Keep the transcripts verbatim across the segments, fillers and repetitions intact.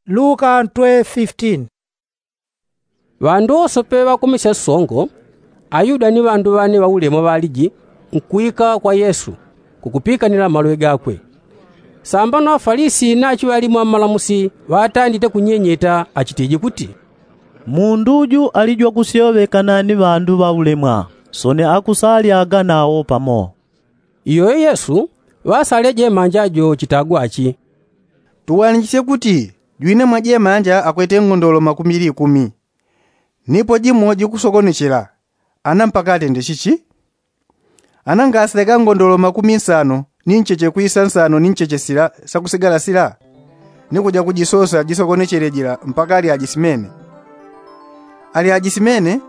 Luka ntwe fifitini. Ŵandu wosope ŵakumisya songo, ayuda ni ŵandu ŵane ŵaulemwa ŵaliji nkwika kwa yesu, kukupikanila malwe gakwe. Sambano afalisi nachiŵalimwa mmalamusi ŵatandite kunyenyeta achitiji kuti, mundu uju alijwa kusyoŵekana ni ŵandu ŵaulemwa, soni akusalyaga nawo pamo. Iyoyo yesu ŵasalye jemanja jo chitagwa achi, tuwanichisye kuti jwine mwa jemanja akwete ngondolo makumi likumi, nipo jimo jikusokonechela. Ana mpaka atende chichi? Ana ngasileka ngondolo makumi nsano ni ncheche kwisa nsano ni ncheche sila sakusigala sila, ni kuja kujisosa jisokonechele jila mpaka alyajisimene? Alyajisimene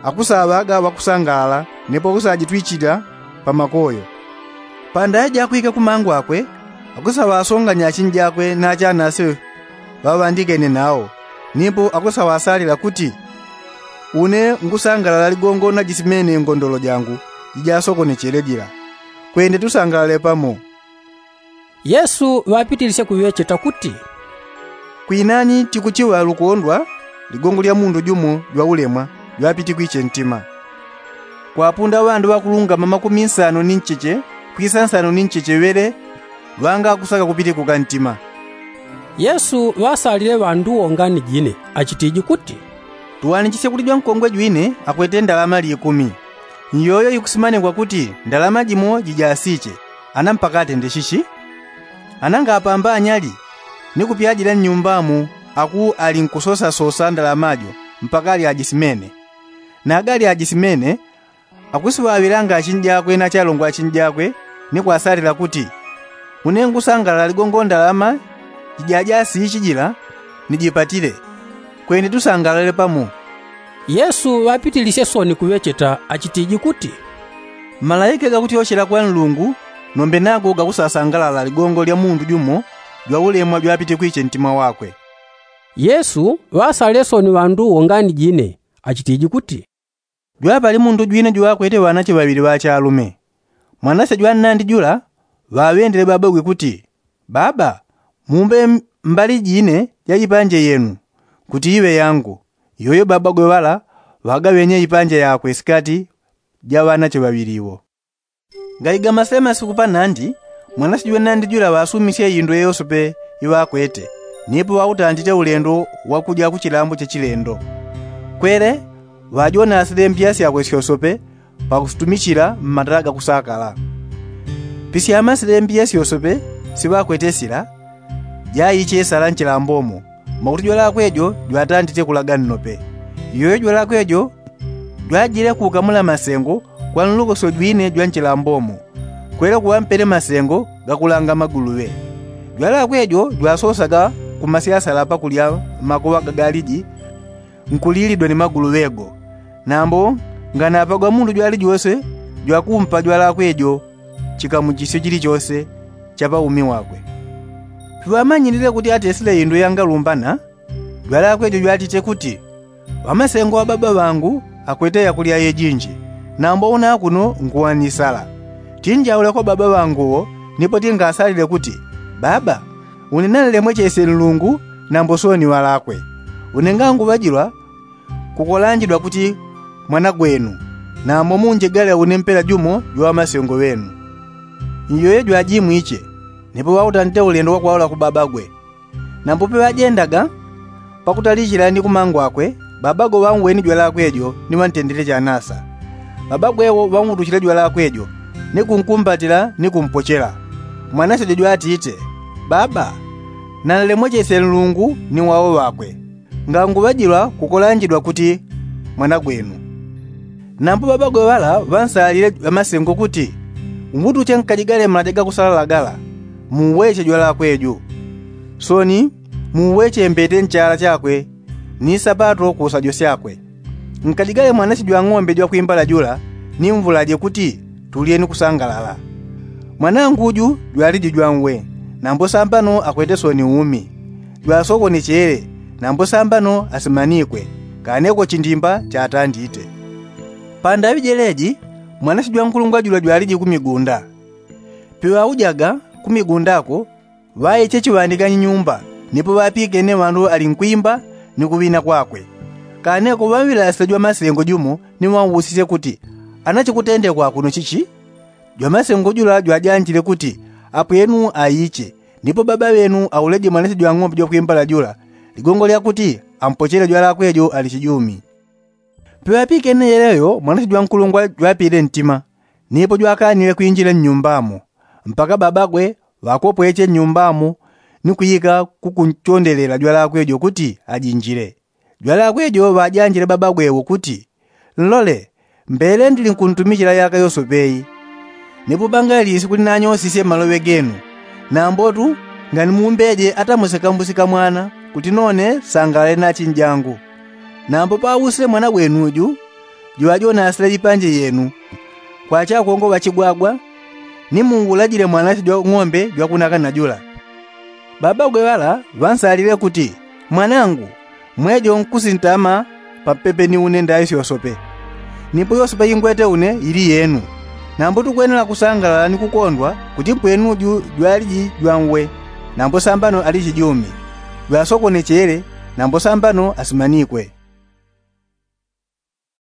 akusaŵaga ŵakusangalala, nipo akusajitwichila pa makoyo. Pandaŵe jakwike kumangu akwe, akusaŵasonganya achinji akwe na achanase ŵaŵandikene nawo, nipo akusaŵasalila kuti, une ngusangalala ligongo najisimene ngondolo jangu jijasokonechele jila. Kwende tusangalale pamo. Yesu ŵapitilisye kuŵecheta kuti, kwinani tikuchiŵa lukondwa ligongo lya mundu jumo jwaulemwa jwapitikwiche ntima, kwapunda ŵandu ŵakulungama makumi nsano ni ncheche kwisa nsano ni ncheche ŵele ŵangakusaka kupitikuka ntima. Yesu ŵasalile ŵandu wo ngani jine achitiji kuti, tuwanichisye kuti jwankongwe jwine akwete ndalama likumi. Iyoyo ikusimanigwa kuti ndalama jimo jijasiche. Ana mpaka atende chichi? Ana ngapamba anyali ni kupyajila nnyumbamo aku ali nkusosasosa ndalama jo mpaka alyajisimene. Naga alyajisimene akusiŵaŵilanga achinji akwe na achalongo achinji akwe, ni kwasalila kuti, une ngusangalala ligongo ndalama jijajasichi jila nijipatile. Kwende tusangalale pamo. Yesu ŵapitilisye soni kuŵecheta achitiji kuti, malaike gakutyochela kwa nlungu nombe nago gakusasangalala ligongo lya mundu jumo jwaulemwa jwapitikwiche ntima wakwe. Yesu ŵasalile soni ŵandu wo ngani jine achitiji kuti, jwapali mundu jwine jwakwete ŵanache ŵaŵili ŵachalume. Mwanase jwannandi jula ŵaŵendele babagwe kuti, baba, mumbe mbali jine ja ipanje yenu kuti iŵe yangu. Iyoyo babagwe ŵala ŵagaŵenye ipanje yakwe sikati ja ŵanache ŵaŵili iwo. Gaiga masele masiku panandi, mwanasi jwanandi jula ŵasumisye indwe yosepe iŵakwete, nipo ŵautandite ulendo wakuja kuchilambo cha chilendo. Kwele ŵajona silembya syakwe syosepe pakusitumichila mmatala gakusakala. Pisyama silembya syosepe siŵakwete sila jaiche sala nchilambomo, mwakuti jwalakwe jo jwatandite kulaga nnope. Iyoyo jwalakwe jo jwajile kukamula masengo kwa nlukosyo jwine jwa nchilambomo, kwele kuŵampele masengo gakulanga maguluŵe. Jwalakwe jo jwasosaga kumasyasala pakulya makoŵa gagaliji nkulilidwa ni maguluŵe go. Nambo nganapagwa mundu jwalijose jwakumpa jwalakwe jo chikamuchisyo chilichose cha paumi wakwe. Piŵamanyilile kuti atesile indwe yangalumbana, jwalakwe jo jwatite kuti, ŵamasengo ŵa baba ŵangu akwete yakulya yejinji, nambo una akuno nkuŵa ni sala. Tinjaule kwa baba ŵangu wo, nipo tingasalile kuti, baba, une nanlemwechesye nlungu nambo soni ŵalakwe. Une nganguŵajilwa kukolanjidwa kuti mwana gwenu, nambo munjegale une mpela jumo jwa ŵamasengo ŵenu. Iyoyo jwajimwiche, nipo ŵautandite ulendo wakwaula ku babagwe. Nambo peŵajendaga pakutalichila ni kumangu akwe, babagwe ŵauweni jwalakwe jo ni ŵantendele chanasa. Babagwe wo ŵautuchile jwalakwe jo ni kunkumbatila ni kumpochela. Mwanase jo jwatite, baba, nanlemwechesye nlungu ni wao ŵakwe. Nganguŵajilwa kukolanjidwa kuti mwana gwenu. Nambo babagwe ŵala ŵansalile ŵamasengo kuti, umutuche nkajigale malaja gakusalala gala, muuweche jwalakwe jo. Soni muuweche mbete nchala chakwe ni sapato kusajo syakwe. Nkajigale mwanasi jwang'ombe jwakwimbala jula ni mvulaje kuti tulye ni kusangalala. Mwanangu ju jwaliji jwanwe, nambo sambano akwete soni umi. Jwasokonechele, nambo sambano asimanikwe, kaneko chindimba chatandite. Pandaŵi jeleji mwanasi jwankulungwa jula jwaliji kumigunda. Piŵaujaga kumigundako ŵaiche chiŵandiganyi nyumba, Nipo ŵapikene ŵandu ali nkwimba ni kuŵina kwakwe. Kane kuŵaŵila sita jwamasengo jumo ni ŵausisye kuti, ana chikutendekwa kuno chichi? Jwamasengo jula jwajanjile kuti, apwenu aiche, nipo baba ŵenu auleje mwanasye jwang'ombe jwakwimbala jula ligongo lya kuti ampochele jwalakwe jo ali chijumi. Peŵapikene yeleyo mwanasye jwankulungwa jwapile ntima, nipo jwakanile kwinjila nnyumbamo mpaka babagwe ŵakopweche nnyumbamo ni kwika kukunchondelela jwalakwe jo kuti ajinjile. Jwalakwe jo ŵajanjile babagwe wo kuti, nlole, mbele ndili nkuntumichila yaka yosope iyi. Nipo pangali sikuli nanyosisye maloŵe genu, nambotu nganimumbeje ata musikambusi kamwana kuti none sangalale na achinjangu. Nambo pausile mwana gwenuju, juŵa jonasile ipanje yenu kwa chakongoŵa chigwagwa, ni muulajile mwanasye jwang'ombe jwakunakana jula. Babagwe ŵala ŵansalile kuti, mwanangu, mwejo nkusintama papepe ni une ndaisi yosope. Nipo yosope ingwete une ili yenu. Nambo tukwenela kusangalala ni kukondwa kuti mpwenuju jwaliji jwanwe, nambo sambano ali chijumi, jwasokonechele, nambo sambano asimanikwe.